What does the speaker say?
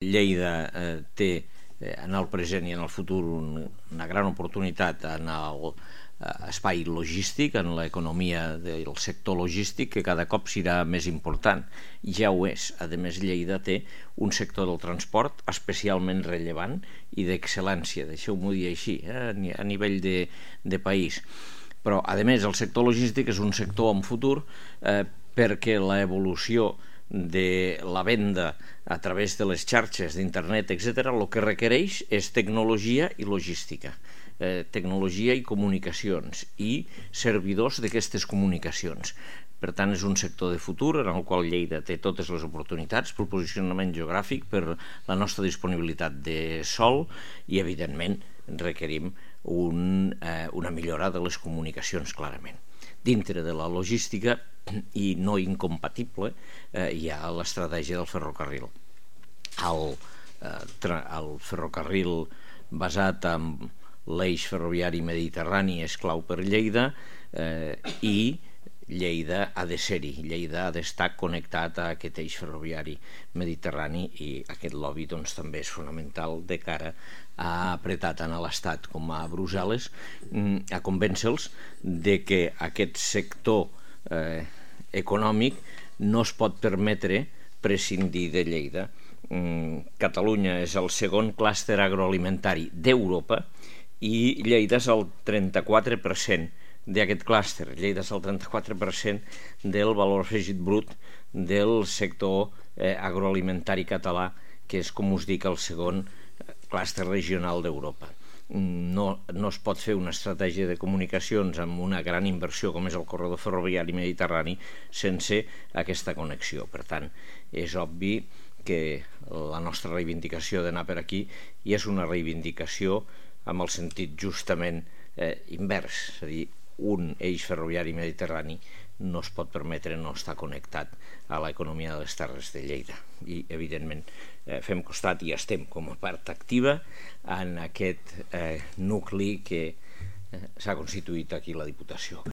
Lleida té en el present i en el futur una gran oportunitat en l'espai logístic, en l'economia del sector logístic, que cada cop serà més important. Ja ho és. A més, Lleida té un sector del transport especialment rellevant i d'excel·lència, deixeu-m'ho dir així, a nivell de país. Però, a més, el sector logístic és un sector amb futur perquè l'evolució de la venda a través de les xarxes d'internet, etc., el que requereix és tecnologia i logística, tecnologia i comunicacions i servidors d'aquestes comunicacions. Per tant, és un sector de futur en el qual Lleida té totes les oportunitats per posicionament geogràfic, per la nostra disponibilitat de sòl i, evidentment, requerim una millora de les comunicacions, clarament. Dintre de la logística, i no incompatible, hi ha l'estratègia del ferrocarril. El ferrocarril basat en l'eix ferroviari mediterrani és clau per Lleida i Lleida ha de ser-hi. Lleida ha d'estar connectat a aquest eix ferroviari mediterrani i aquest lobby també és fonamental de cara a apretar tant a l'Estat com a Brussel·les a convèncer-los de que aquest sector econòmic no es pot permetre prescindir de Lleida. Catalunya és el segon clúster agroalimentari d'Europa i Lleida és el 34% d'aquest clúster. Lleida és el 34% del valor afegit brut del sector agroalimentari català, que és, com us dic, el segon clúster regional d'Europa. No es pot fer una estratègia de comunicacions amb una gran inversió com és el corredor ferroviari mediterrani sense aquesta connexió. Per tant, és obvi que la nostra reivindicació d'anar per aquí i és una reivindicació amb el sentit justament invers, és a dir, un eix ferroviari mediterrani no es pot permetre no estar connectat a l'economia de les terres de Lleida. I, evidentment, fem costat i estem com a part activa en aquest nucli que s'ha constituït aquí la Diputació.